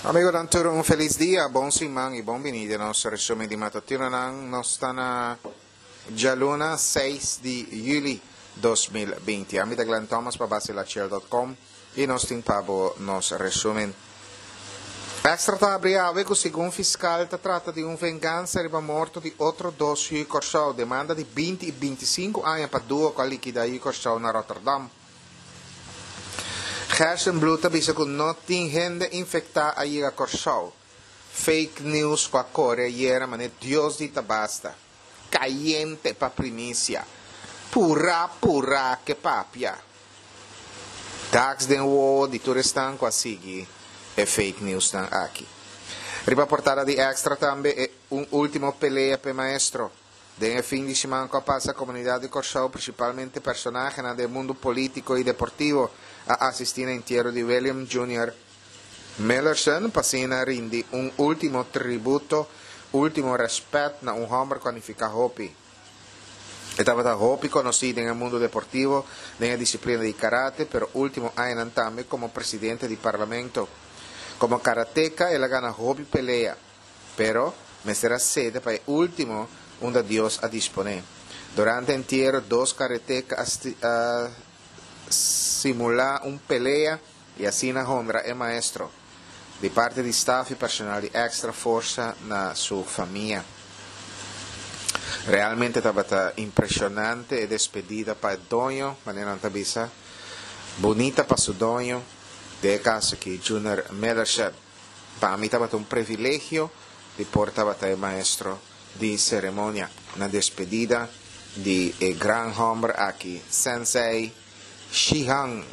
Amigonan tur un felis dia, bon siman y bon bini den nos resumen di matutinonan. Nos ta na djaluna seis di juli 2020. Ami ta Glenn Thomas pa basilachel.com y nos tin pa bo nos resumen. Extra ta habri awe cu segun fiscal ta trata di un vengansa riba morto di otro dos yu Corsou. Demanda di 20 y 25 aña pa duo cu a likida yu Corsou na Rotterdam. Gerstenbluth ta bisa ku no tin hende infektá a yega Kòrsou. Fake news ku a kore ayera manera Dios di ta basta. Kayente pa primisia. Purá purá ke papia. Daks den wowo di tur esnan ku a sigui e fake newsnan aki. Riba portada di Extra tambe e un ultimo pelea p'e maestro. Den e fin di siman ku a pasa komunidat di Kòrsou, prinsipalmente personahenan den mundu polítiko i deportivo a asistí na entiero di William Junior Millerson pa asina rindi un último tributo, último rèspèt na un hòmber ku a nifiká hopi. E tabata hopi konosí den e mundu deportivo, den e disiplina di karate, pero último añanan tambe komo presidente di parlamento. Komo karateka el a gana hopi pelea. Pero, mester a sede pa e último unda Dios a disponé. Durante entiero, dos kareteka a a simulá un pelea i asina honra e maestro. Di parti di staf i personal di Extra forsa na su famia. Realmente tabata impresionante e despedida pa e doño, manera nan ta bisa, bunita pa su doño, den e caso aki Junior Millership. Pa mi tabata un privilegio di por tabata e maestro di ceremonia na despedida di e gran homber aki, Sensei Shihan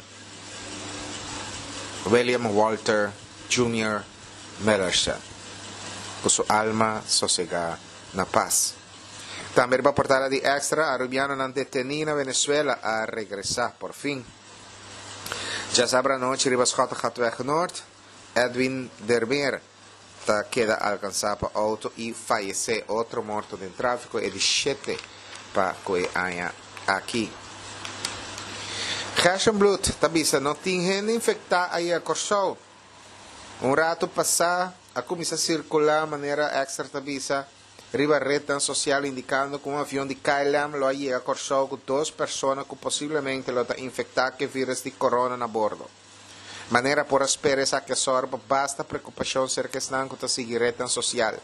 William Walter Junior Millerson. Cu su alma sosega na paz. Tambe riba portada di Extra, Arubianonan deteni na Venezuela a regresa por fin. Djasabra anochi riba Schottegatweg Noord, Edwin Dermeer ta keda alkansá pa outo i fayesé. Otro morto den tráfiko e di shete pa ku e aña aki. Gerstenbluth ta bisa no tin hende infektá a yega Kòrsou. Un ratu pasá a kuminsá sirkulá manera Extra ta bisa riba retnan sosial indikando ku un avion di KLM lo a yega Kòrsou ku dos persona ku posiblemente lo ta infektá ku e vírus di korona na bordo. Manera por a spera esaki a sòru pa basta preokupashon serka esnan ku ta sigui retnan sosial.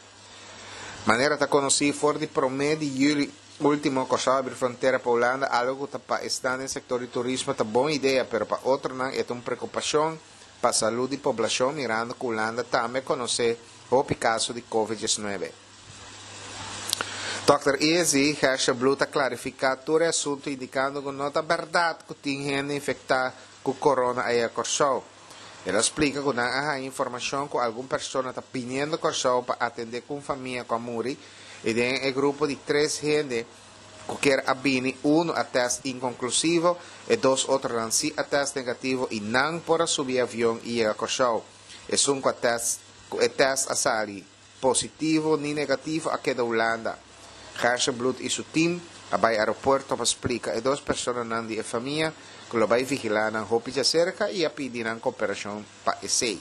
Manera ta konosí for di promé di yüli último Kòrsou a abri frontera pa Hulanda, algu ku ta pa esnan den sektor di turismo ta bon idea pero pa otronan e ta un preokupashon pa salú di poblashon mirando ku Hulanda tambe konosé hopi kaso di covid diesnuebe. Dòkter Izzy Gershebloed ta klarifiká tur e asuntu indikando ku no ta bèrdat ku tin hende infektá ku korona a yega Kòrsou. El a splika ku nan a haña informashon ku algun persona ta biniendo Kòrsou pa atendé ku un famia ku a muri i den e grupo di tres hende ku kier a bini unu a tèst inkonklusivo, e dos otronan si a tèst negativo i nan por a subi e avion i yega Kòrsou. Esun ku a tèst ku e tèst a sali positivo ni negativo a keda Hulanda. Gerstenbluth i su tim a bai aeropuerto pa splika e dos personanan di e famia ku lo bai vigilá nan hopi djaserka i a pidi nan koperashon pa esei.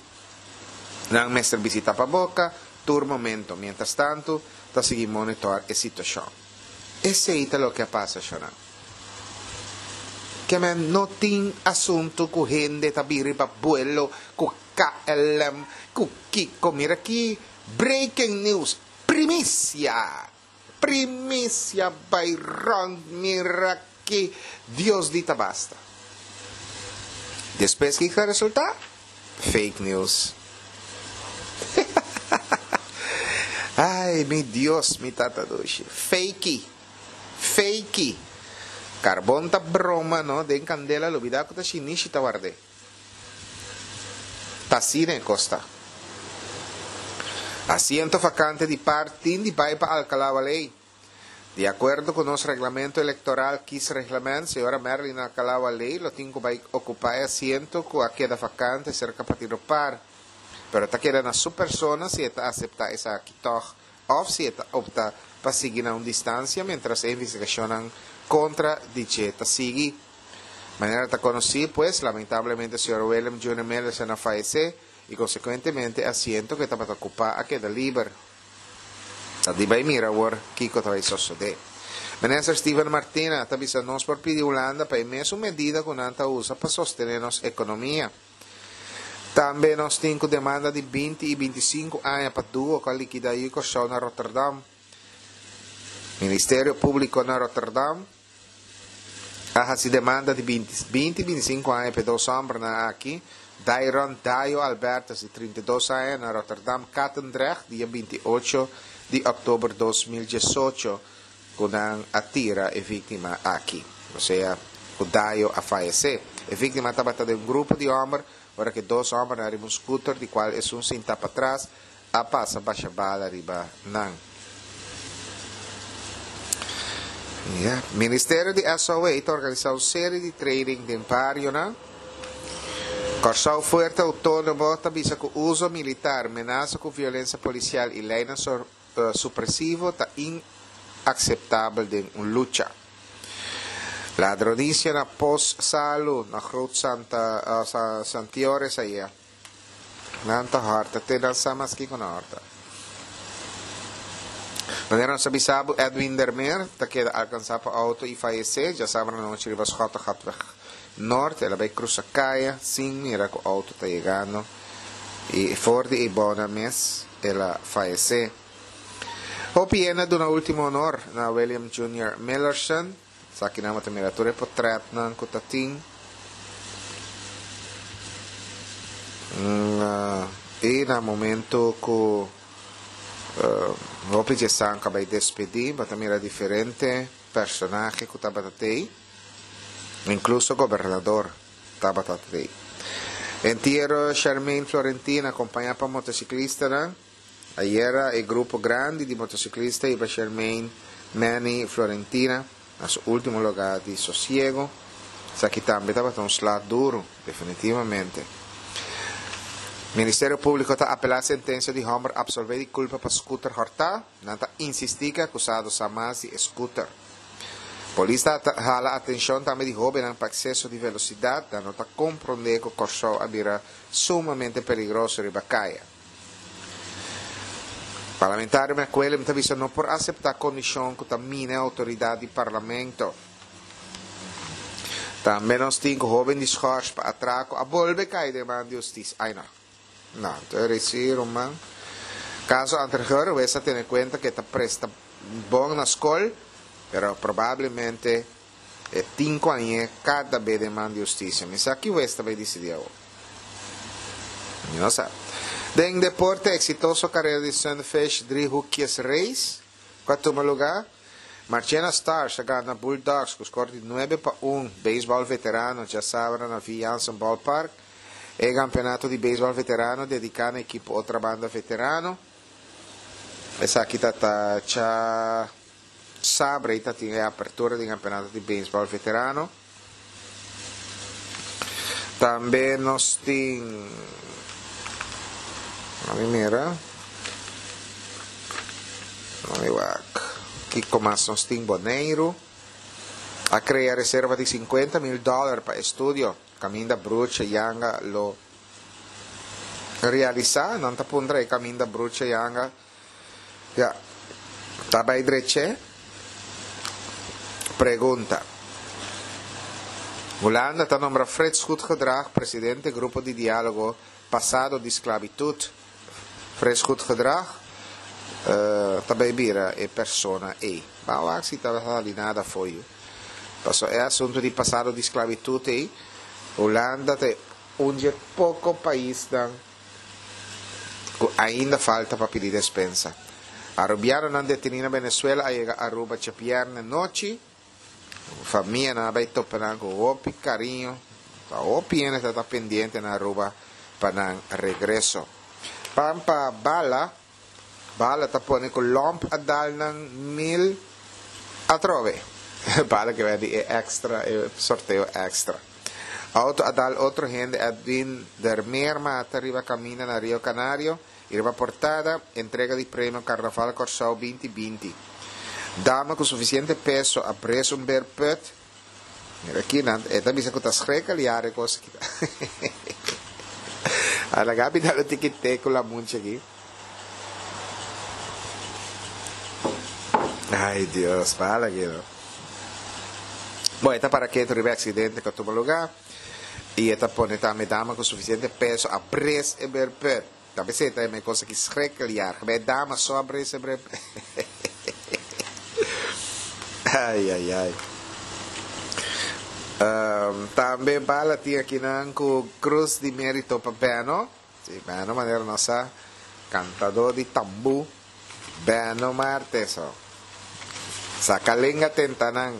Nan mester bisita pa boka tur momento, mientrastantu ta sigui monitor e situashon. Esei ta loke a pasa, shonnan. Ke men no tin asuntu ku hende ta bin riba buelo ku KLM ku kiko. Mira ki breaking news, primisia, primisia bai rond, mira ki Dios di ta basta. Despues kiko a resulta? Fake news. Ay mi Dios mi tata dushi. Fakey. Fakey. Carbon ta broma no den candela lubida cu ta shinishi ta ward'e. Ta asina e cos ta. Asiento vacante di par tin di bay pa Alcalá Waley. Di akuerdo ku nos reglamento elektoral, kiesreglement, señora Merlin Alcalá Walley lo tin ku bai okupá e asiento ku a keda vakante serka Partido par. Pero ta keda na su persona si e ta aseptá esaki tòg òf si e ta opta pa sigui na un distansia miéntras e investigashonnan kontra di dje ta sigui. Manera ta konosí, pues, lamentablemente señor Willem Junior Millerson a fayesé. i konsekuentemente e asiento ku e tabata okupá a keda liber. Ta di bai mira awor kiko ta bai sosodé. Minister Steven Martina ta bisa nos por pidi Hulanda pa e mesun medida ku nan ta usa pa sostené nos ekonomia. Tambe nos tin ku demanda di binti i bintisinku aña pa duo ku a likidá yu Kòrsou na Rotterdam. Ministerio Públiko na Rotterdam a hasi demanda di binti i bintisinku aña pa e dos hòmbernan aki, Dairon Dayo Albertus di 32 aña na Rotterdam Katendrecht dia 28 di òktober 2018 ku nan a tira e víktima aki, osea ku Dayo a fayesé. E víktima tabata den un grupo di hòmber ora ku e dos hòmbernan riba un skuter di kual esun sintá patras a pasa basha bala riba nan. Ya. Ministerio di SOA ta organisá un serie di training den barionan. Kòrsou Fuerte Outónomo ta bisa ku uso militar, menasa ku violensia polisial i leinan supresivo ta inakseptabel den un lucha. Ladronisia na Pos Salu na Groot Santa Santiores aya. Nan ta hòrta te nan sa mas kiko nan hòrta. Manera nos a bisa bo, Edwin Dermeer ta keda alkansá pa outo i fayesé djasabra anochi riba Schottegatweg Noord. El a bai krusa kaya sin mira ku outo ta yegando i for di e bona mes el a fayesé. Hopi hende a duna último honor na William Junior Millerson. Esakinan bo ta mira tur e potretnan ku ta tin. I na momento ku hopi dje san ku a bai despedí, bo ta mira diferente personahe ku tabata tei, inkluso gobernador tabata tei. Entiero Shermaine Florentina akompañá pa motosiklistanan. Ayera e grupo grandi di motociclista hiba Shermaine Manny Florentina na su ultimo lugar di sosiego. Esaki tambe tabata un sla duro, definitivamente. Ministerio Publico ta apela sentencia di homber absolve di culpa pa scooter horta. Nan ta insisti cu e acusado sa mas di e scooter. Polis ta hala atencion tambe di hobennan pa exceso di velocidad. Nan no ta compronde cu Corsou a bira sumamente peligroso riba caya. Parlamentario McWilliam ta bisa no por aseptá kondishon ku ta mina e outoridat di parlamento. Tambe nos tin ku hóben di schors pa atrako a bolbe kai den man di hustis. Ai no. No, anto e resi ruman. Kaso anterior wes a tene kuenta ku e ta presta bon na skol, pero probablemente E tin cu añe cada be den man di husticia. Mi sa ki hues ta bay dicidi awor. Mi no sa. Den deporte exitoso carera di Sunfish Driehoekjes Race cu a tuma lugar, Marchena Stars a gana Bulldogs cu score di 9-1 Baseball veterano djasabra na Vi Jansen Ballpark. E campeonato di baseball veterano dedica na ekipo Otrabanda Veterano. Esaki ta ta cha. Sabre ta tin e apertura di campeonato di baseball veterano. Tambe nos tin Lami mira. Lami wak. Kiko mas nos tin Boneiru. A crea reserva di 50 mil dollar pa estudio. Caminda Bruche Yanga lo realisa. Nan ta puntra e caminda Bruche Yanga. Ya. Ta bai dreche? Pregunta. Hulanda ta nombra Frits Goedgedrag presidente Grupo di Dialogo Pasado di Sklabitut. Frits Goedgedrag ta bai bira e persona ei. Ban wak si ta sali nada for yu. Paso e asunto di pasado di sklabitut ei, Hulanda ta e un dje poko paisnan ku ainda falta pa pidi despensa. Arubianonan detení na Venezuela a yega Aruba djabièrnè nochi. Famianan a bai topa nan ku hopi kariño. Ta hopi hende ta ta pendiente na Aruba pa nan regreso. Pan pa bala, bala ta pone ku lòmp a dal nan mil atrobe. Bala ke bai di e extra, e sorteo extra. Auto a dal otro hende Edwin der Meer mata riba caminda na Rio Canario y riba portada, entrega di premio Carnaval Corsou 2020. Dama cu suficiente peso a bres un beerput. Mira aki nan, e ta bisa cu ta schrik al jaren cos aki. A laga mi dal un tiki te ku lamunchi aki. Ay Dios, bala aki no. Bon, e ta para ketu riba e aksidente ku a tuma lugá i e ta pone tambe dama ku sufisiente peso a bres e berpùt. Ta besei ta e me cosa ki schrikkeljaar. Bij dama so a bres e berpùt. Ay, ay, ay. Tambe bala tin akinan ku Cruz di Merito pa Beno. Si, Beno manera nos sa, kantadó di tambú, Beno Martes. Oh. Saka lenga tenta nan.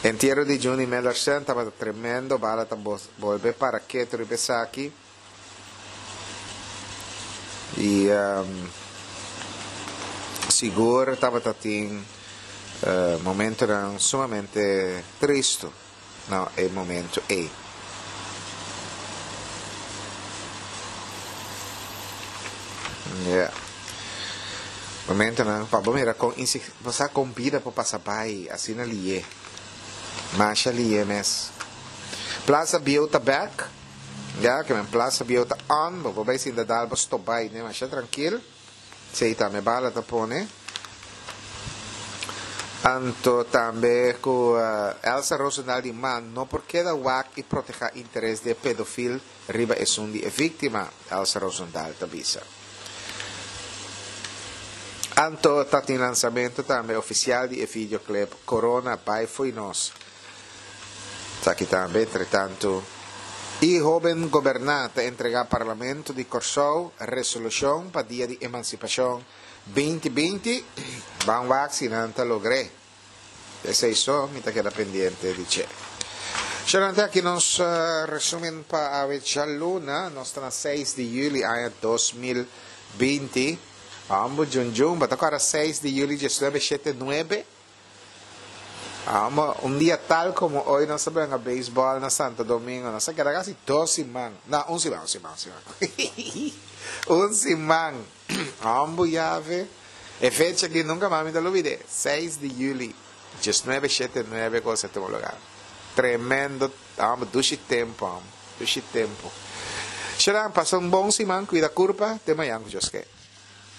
Entiero di Juni Mellersen tabata tremendo, bala ta bolbe para ketu riba esaki. Y sigur tabata tin momentonan sumamente tristo na e momento ey. Yeah. Momentonan pa bo mira con bo sa con bida por pasa bay asina liye. Masha liye mes. Plaza Bieu ta bek. Ya ke men plaza bieu ta on, bo por bai sinta dal bo stop bai ne masha trankil. Esei tambe bala ta pone. Anto tambe ku Elsa Rosendaal di man no por keda wak i proteha interes di e pedofil riba esun di e viktima, Elsa Rosendaal ta bisa. Anto ta tin lansamento tambe ofisial di e videoclip Corona bai fo'i nos. Esaki tambe entretantu i hoben goberná ta entregá Parlamento di Kòrsou resolushon pa Dia di Emansipashon 2020, ban wak si nan ta logr'é. Esei so mi ta keda pendiente di dje. Shalante aki nos resumen pa awe djaluna, nos ta na seis di yüli aña 2020. Ambo djun djun, bo ta kòrda seis di yüli diesnuebe shete nuebe? Amo, un dia tal como hoy nos a benga baseball na Santo Domingo. Nos a keda casi dos siman. No, un siman, un siman, un siman. Un siman. Ambo yave. E fecha aki nunca mas mi ta lubide. Seis di juli, diesnuebe shete nuebe cosa tuma lugar. Tremendo, amo, dushi tempo, amo. Dushi tempo. Sharan, pasa un bon siman, cuida curpa, te mañan cu Dios ke.